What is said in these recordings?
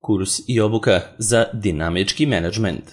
Kurs i obuka za dinamički menadžment.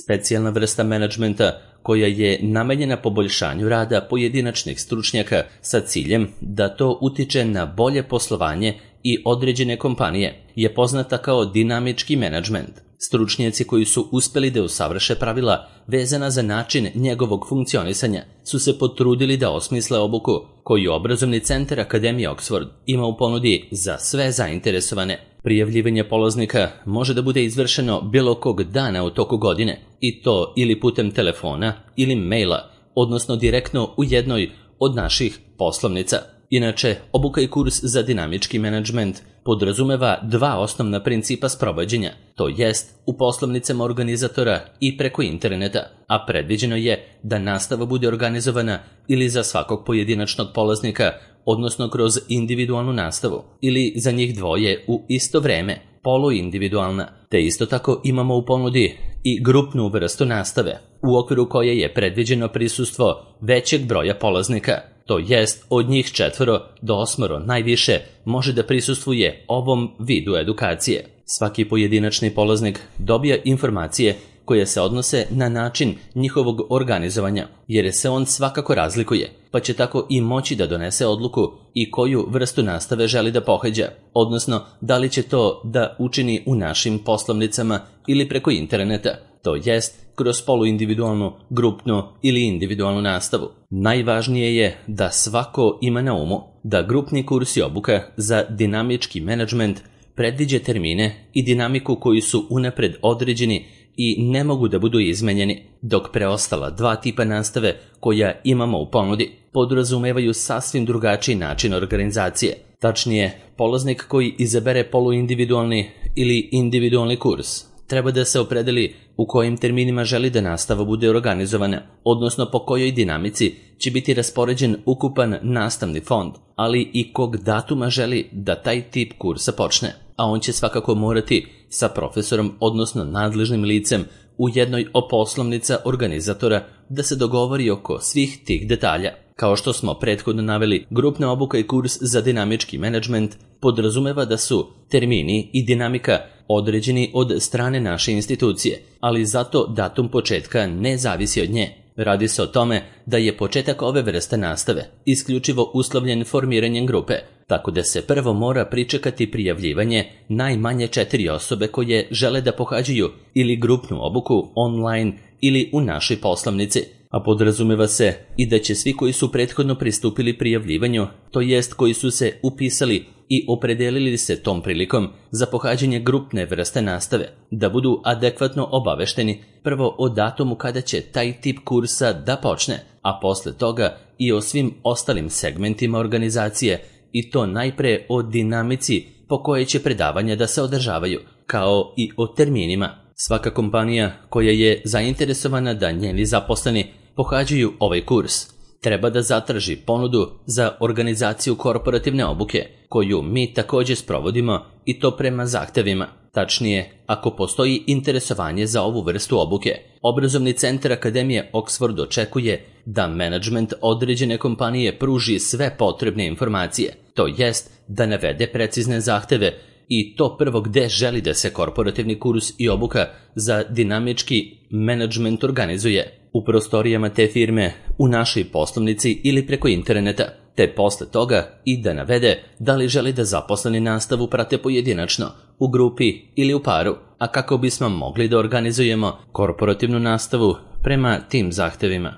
Specijalna vrsta menadžmenta koja je namenjena poboljšanju rada pojedinačnih stručnjaka sa ciljem da to utiče na bolje poslovanje i određene kompanije je poznata kao dinamički menadžment. Stručnjaci koji su uspeli da usavrše pravila vezana za način njegovog funkcionisanja su se potrudili da osmisle obuku koju obrazovni centar Akademije Oxford ima u ponudi za sve zainteresovane. Prijavljivanje polaznika može da bude izvršeno bilo kog dana u toku godine i to ili putem telefona ili maila, odnosno direktno u jednoj od naših poslovnica. Inače, obuka i kurs za dinamički menadžment podrazumeva dva osnovna principa sprovođenja, to jest u poslovnicama organizatora i preko interneta, a predviđeno je da nastava bude organizovana ili za svakog pojedinačnog polaznika, odnosno kroz individualnu nastavu, ili za njih dvoje u isto vreme, poluindividualna, te isto tako imamo u ponudi i grupnu vrstu nastave, u okviru koje je predviđeno prisustvo većeg broja polaznika. To jest, od njih 4 do 8 najviše može da prisustvuje ovom vidu edukacije. Svaki pojedinačni polaznik dobija informacije koje se odnose na način njihovog organizovanja, jer se on svakako razlikuje, pa će tako i moći da donese odluku i koju vrstu nastave želi da pohađa, odnosno da li će to da učini u našim poslovnicama ili preko interneta, to jest kroz poluindividualnu, grupnu ili individualnu nastavu. Najvažnije je da svako ima na umu da grupni kurs i obuka za dinamički menadžment predviđa termine i dinamiku koji su unapred određeni i ne mogu da budu izmenjeni, dok preostala dva tipa nastave koja imamo u ponudi podrazumevaju sasvim drugačiji način organizacije. Tačnije, polaznik koji izabere poluindividualni ili individualni kurs treba da se opredeli u kojim terminima želi da nastava bude organizovana, odnosno po kojoj dinamici će biti raspoređen ukupan nastavni fond, ali i kog datuma želi da taj tip kursa počne, a on će svakako morati sa profesorom, odnosno nadležnim licem u jednoj od poslovnica organizatora da se dogovori oko svih tih detalja. Kao što smo prethodno naveli, grupna obuka i kurs za dinamički menadžment podrazumeva da su termini i dinamika određeni od strane naše institucije, ali zato datum početka ne zavisi od nje. Radi se o tome da je početak ove vrste nastave isključivo uslovljen formiranjem grupe, tako da se prvo mora pričekati prijavljivanje najmanje 4 osobe koje žele da pohađaju ili grupnu obuku online ili u našoj poslovnici, a podrazumeva se i da će svi koji su prethodno pristupili prijavljivanju, to jest koji su se upisali i opredelili se tom prilikom za pohađanje grupne vrste nastave, da budu adekvatno obavešteni prvo o datumu kada će taj tip kursa da počne, a posle toga i o svim ostalim segmentima organizacije, i to najpre o dinamici po kojoj će predavanja da se održavaju, kao i o terminima. Svaka kompanija koja je zainteresovana da njeni zaposleni pohađaju ovaj kurs treba da zatraži ponudu za organizaciju korporativne obuke, koju mi također sprovodimo i to prema zahtevima. Tačnije, ako postoji interesovanje za ovu vrstu obuke, obrazovni centar Akademije Oxford očekuje da menadžment određene kompanije pruži sve potrebne informacije, to jest da navede precizne zahteve i to prvo gde želi da se korporativni kurs i obuka za dinamički menadžment organizuje, u prostorijama te firme, u našoj poslovnici ili preko interneta, te posle toga i da navede da li želi da zaposleni nastavu prate pojedinačno, u grupi ili u paru, a kako bismo mogli da organizujemo korporativnu nastavu prema tim zahtevima.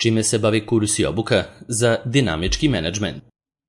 Čime se bavi kurs i obuka za dinamički menadžment?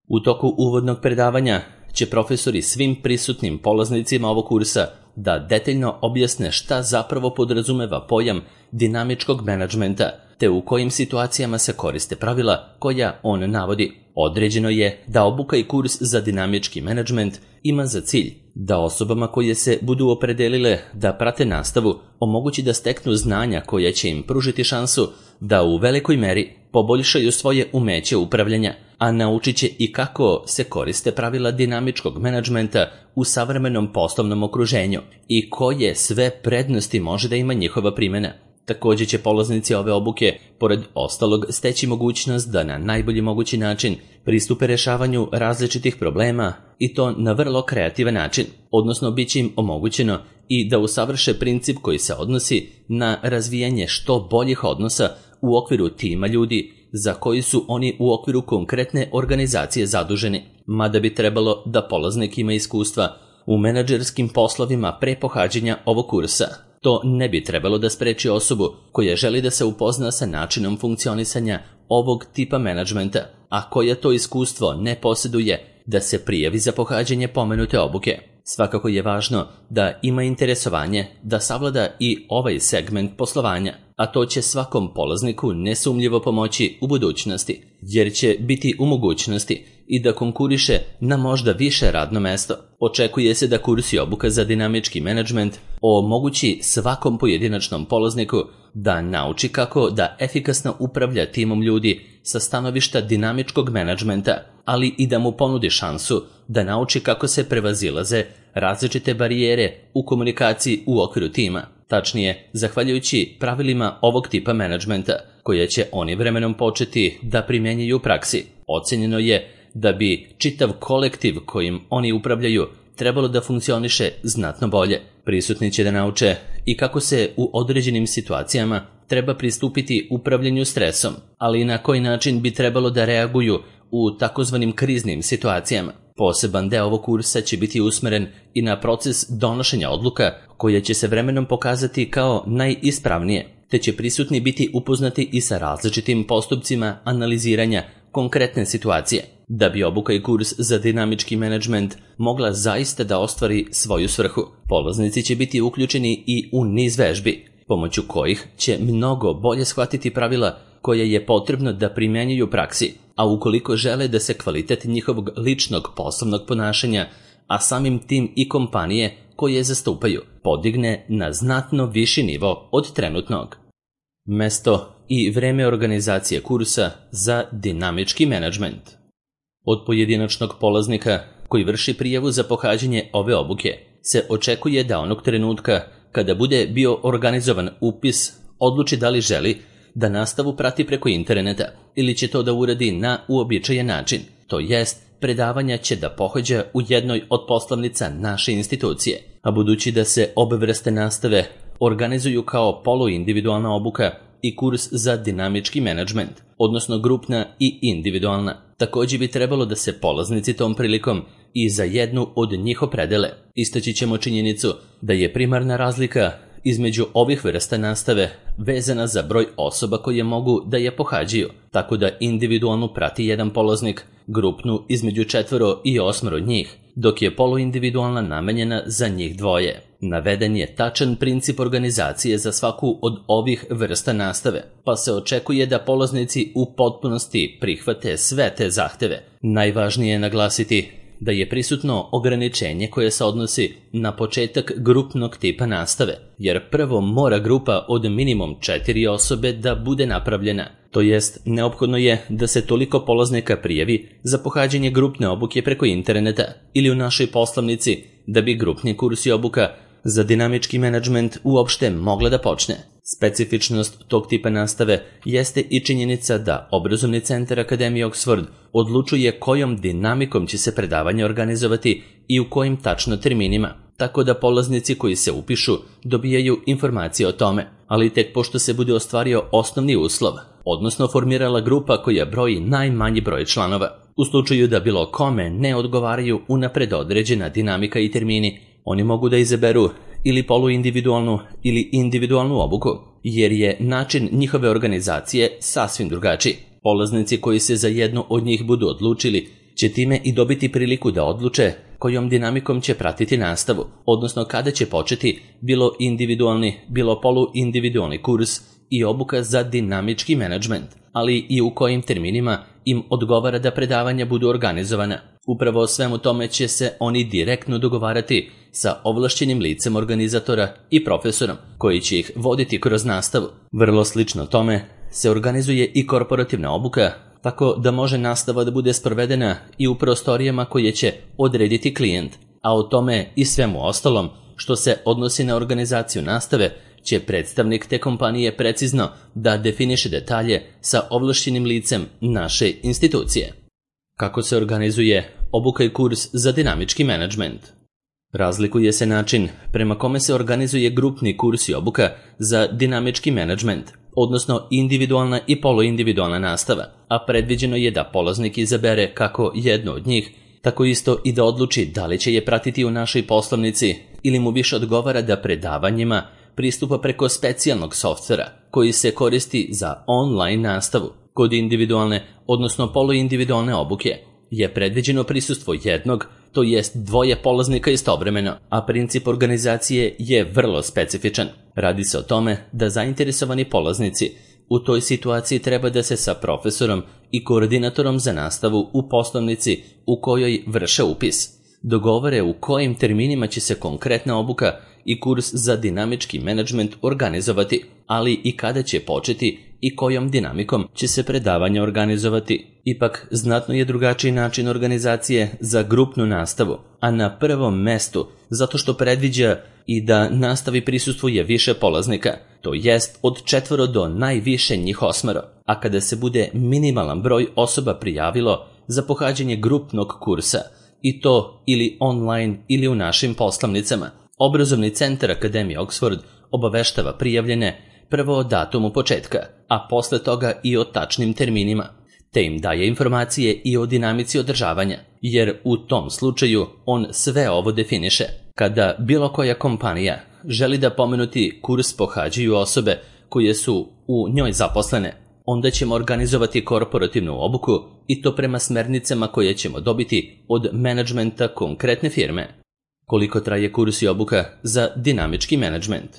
U toku uvodnog predavanja će profesori svim prisutnim polaznicima ovog kursa da detaljno objasne šta zapravo podrazumeva pojam dinamičkog menadžmenta, te u kojim situacijama se koriste pravila koja on navodi. Određeno je da obuka i kurs za dinamički menadžment ima za cilj da osobama koje se budu opredelile da prate nastavu omogući da steknu znanja koja će im pružiti šansu da u velikoj meri poboljšaju svoje umeće upravljanja, a naučit će i kako se koriste pravila dinamičkog menadžmenta u savremenom poslovnom okruženju i koje sve prednosti može da ima njihova primjena. Također će polaznici ove obuke, pored ostalog, steći mogućnost da na najbolji mogući način pristupe rješavanju različitih problema i to na vrlo kreativan način, odnosno bit će im omogućeno i da usavrše princip koji se odnosi na razvijanje što boljih odnosa u okviru tima ljudi za koji su oni u okviru konkretne organizacije zaduženi, mada bi trebalo da polaznik ima iskustva u menadžerskim poslovima pre pohađanja ovog kursa. To ne bi trebalo da spreči osobu koja želi da se upozna sa načinom funkcionisanja ovog tipa menadžmenta, a koja to iskustvo ne posjeduje, da se prijavi za pohađanje pomenute obuke. Svakako je važno da ima interesovanje da savlada i ovaj segment poslovanja, a to će svakom polazniku nesumnjivo pomoći u budućnosti, jer će biti u mogućnosti i da konkuriše na možda više radno mesto. Očekuje se da kurs i obuka za dinamički menadžment omogući svakom pojedinačnom polazniku da nauči kako da efikasno upravlja timom ljudi sa stanovišta dinamičkog menadžmenta, ali i da mu ponudi šansu da nauči kako se prevazilaze različite barijere u komunikaciji u okviru tima. Tačnije, zahvaljujući pravilima ovog tipa menadžmenta, koje će oni vremenom početi da primjenjuju u praksi. Ocenjeno je da bi čitav kolektiv kojim oni upravljaju trebalo da funkcioniše znatno bolje. Prisutni će da nauče i kako se u određenim situacijama treba pristupiti upravljanju stresom, ali i na koji način bi trebalo da reaguju u takozvanim kriznim situacijama. Poseban deo ovog kursa će biti usmeren i na proces donošenja odluka, koje će se vremenom pokazati kao najispravnije, te će prisutni biti upoznati i sa različitim postupcima analiziranja konkretne situacije, da bi obuka i kurs za dinamički menadžment mogla zaista da ostvari svoju svrhu. Polaznici će biti uključeni i u niz vežbi, pomoću kojih će mnogo bolje shvatiti pravila koje je potrebno da primjenjuju u praksi, a ukoliko žele da se kvalitet njihovog ličnog poslovnog ponašanja, a samim tim i kompanije koje zastupaju, podigne na znatno viši nivo od trenutnog. Mesto i vreme organizacije kursa za dinamički menadžment. Od pojedinačnog polaznika koji vrši prijavu za pohađanje ove obuke se očekuje da onog trenutka kada bude bio organizovan upis odluči da li želi da nastavu prati preko interneta ili će to da uradi na uobičajen način, to jest predavanja će da pohađa u jednoj od poslovnica naše institucije, a budući da se obe vrste nastave organizuju kao poluindividualna obuka i kurs za dinamički menadžment, odnosno grupna i individualna. Također bi trebalo da se polaznici tom prilikom i za jednu od njih opredele. Istaći ćemo činjenicu da je primarna razlika između ovih vrsta nastave vezana za broj osoba koje mogu da je pohađaju, tako da individualnu prati jedan polaznik, grupnu između 4 i 8 njih, dok je poluindividualna namenjena za njih 2. Naveden je tačan princip organizacije za svaku od ovih vrsta nastave, pa se očekuje da polaznici u potpunosti prihvate sve te zahteve. Najvažnije je naglasiti da je prisutno ograničenje koje se odnosi na početak grupnog tipa nastave, jer prvo mora grupa od minimum 4 osobe da bude napravljena. To jest, neophodno je da se toliko polaznika prijavi za pohađanje grupne obuke preko interneta ili u našoj poslovnici da bi grupni kurs i obuka za dinamički menadžment uopšte mogla da počne. Specifičnost tog tipa nastave jeste i činjenica da Obrazovni centar Akademije Oxford odlučuje kojom dinamikom će se predavanje organizovati i u kojim tačno terminima, tako da polaznici koji se upišu dobijaju informacije o tome, ali tek pošto se bude ostvario osnovni uslov, odnosno formirala grupa koja broji najmanji broj članova. U slučaju da bilo kome ne odgovaraju unapred određena dinamika i termini, oni mogu da izaberu ili poluindividualnu ili individualnu obuku, jer je način njihove organizacije sasvim drugačiji. Polaznici koji se za jednu od njih budu odlučili će time i dobiti priliku da odluče kojom dinamikom će pratiti nastavu, odnosno kada će početi bilo individualni, bilo poluindividualni kurs i obuka za dinamički menadžment, ali i u kojim terminima im odgovara da predavanja budu organizovana. Upravo o svemu tome će se oni direktno dogovarati sa ovlašćenim licem organizatora i profesorom, koji će ih voditi kroz nastavu. Vrlo slično tome se organizuje i korporativna obuka, tako da može nastava da bude sprovedena i u prostorijama koje će odrediti klijent, a o tome i svemu ostalom što se odnosi na organizaciju nastave će predstavnik te kompanije precizno da definiše detalje sa ovlašćenim licem naše institucije. Kako se organizuje obuka i kurs za dinamički menadžment? Razlikuje se način prema kome se organizuje grupni kurs i obuka za dinamički menadžment, odnosno individualna i poluindividualna nastava, a predviđeno je da polaznik izabere kako jedno od njih, tako isto i da odluči da li će je pratiti u našoj poslovnici ili mu više odgovara da predavanjima pristupa preko specijalnog softvera koji se koristi za online nastavu. Kod individualne, odnosno poluindividualne obuke je predviđeno prisustvo jednog, to jest dvoje polaznika istovremeno, a princip organizacije je vrlo specifičan. Radi se o tome da zainteresovani polaznici u toj situaciji treba da se sa profesorom i koordinatorom za nastavu u poslovnici u kojoj vrše upis dogovore u kojim terminima će se konkretna obuka i kurs za dinamički menadžment organizovati, ali i kada će početi i kojom dinamikom će se predavanje organizovati. Ipak, znatno je drugačiji način organizacije za grupnu nastavu, a na prvom mestu zato što predviđa i da nastavi prisustvuje više polaznika, to jest od 4 do najviše njih 8, a kada se bude minimalan broj osoba prijavilo za pohađanje grupnog kursa, i to ili online ili u našim poslovnicama, Obrazovni centar Akademije Oxford obaveštava prijavljene prvo o datumu početka, a posle toga i o tačnim terminima, te im daje informacije i o dinamici održavanja, jer u tom slučaju on sve ovo definiše. Kada bilo koja kompanija želi da pomenuti kurs pohađaju osobe koje su u njoj zaposlene, onda ćemo organizovati korporativnu obuku i to prema smernicama koje ćemo dobiti od menadžmenta konkretne firme. Koliko traje kurs i obuka za dinamički menadžment?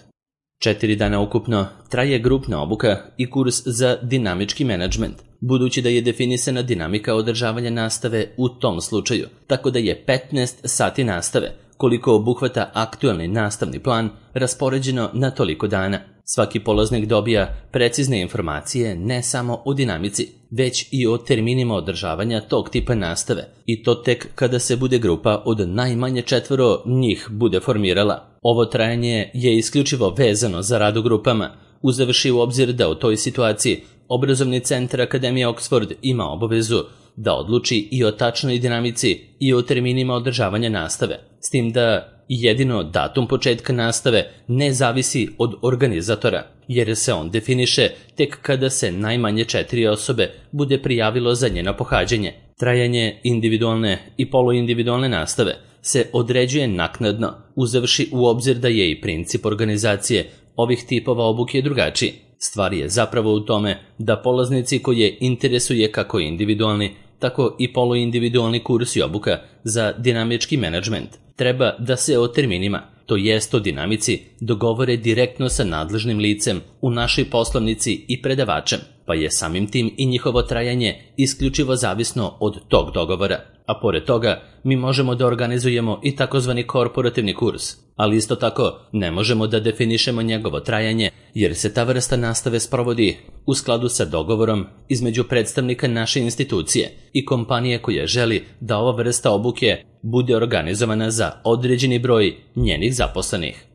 4 dana ukupno traje grupna obuka i kurs za dinamički menadžment, budući da je definisana dinamika održavanja nastave u tom slučaju, tako da je 15 sati nastave, koliko obuhvata aktualni nastavni plan, raspoređeno na toliko dana. Svaki polaznik dobija precizne informacije ne samo o dinamici, već i o terminima održavanja tog tipa nastave, i to tek kada se bude grupa od najmanje 4 njih bude formirala. Ovo trajanje je isključivo vezano za rad u grupama, uzevši u obzir da u toj situaciji Obrazovni centar Akademije Oxford ima obavezu da odluči i o tačnoj dinamici i o terminima održavanja nastave, s tim da jedino datum početka nastave ne zavisi od organizatora, jer se on definiše tek kada se najmanje 4 osobe bude prijavilo za njeno pohađanje. Trajanje individualne i poluindividualne nastave se određuje naknadno, uzevši u obzir da je i princip organizacije ovih tipova obuke drugačiji. Stvar je zapravo u tome da polaznici koje interesuje kako individualni, tako i poluindividualni kurs i obuka za dinamički menadžment treba da se o terminima, to jest o dinamici, dogovore direktno sa nadležnim licem u našoj poslovnici i predavačem, pa je samim tim i njihovo trajanje isključivo zavisno od tog dogovora. A pored toga, mi možemo da organizujemo i takozvani korporativni kurs, ali isto tako ne možemo da definišemo njegovo trajanje, jer se ta vrsta nastave sprovodi u skladu sa dogovorom između predstavnika naše institucije i kompanije koja želi da ova vrsta obuke bude organizovana za određeni broj njenih zaposlenih.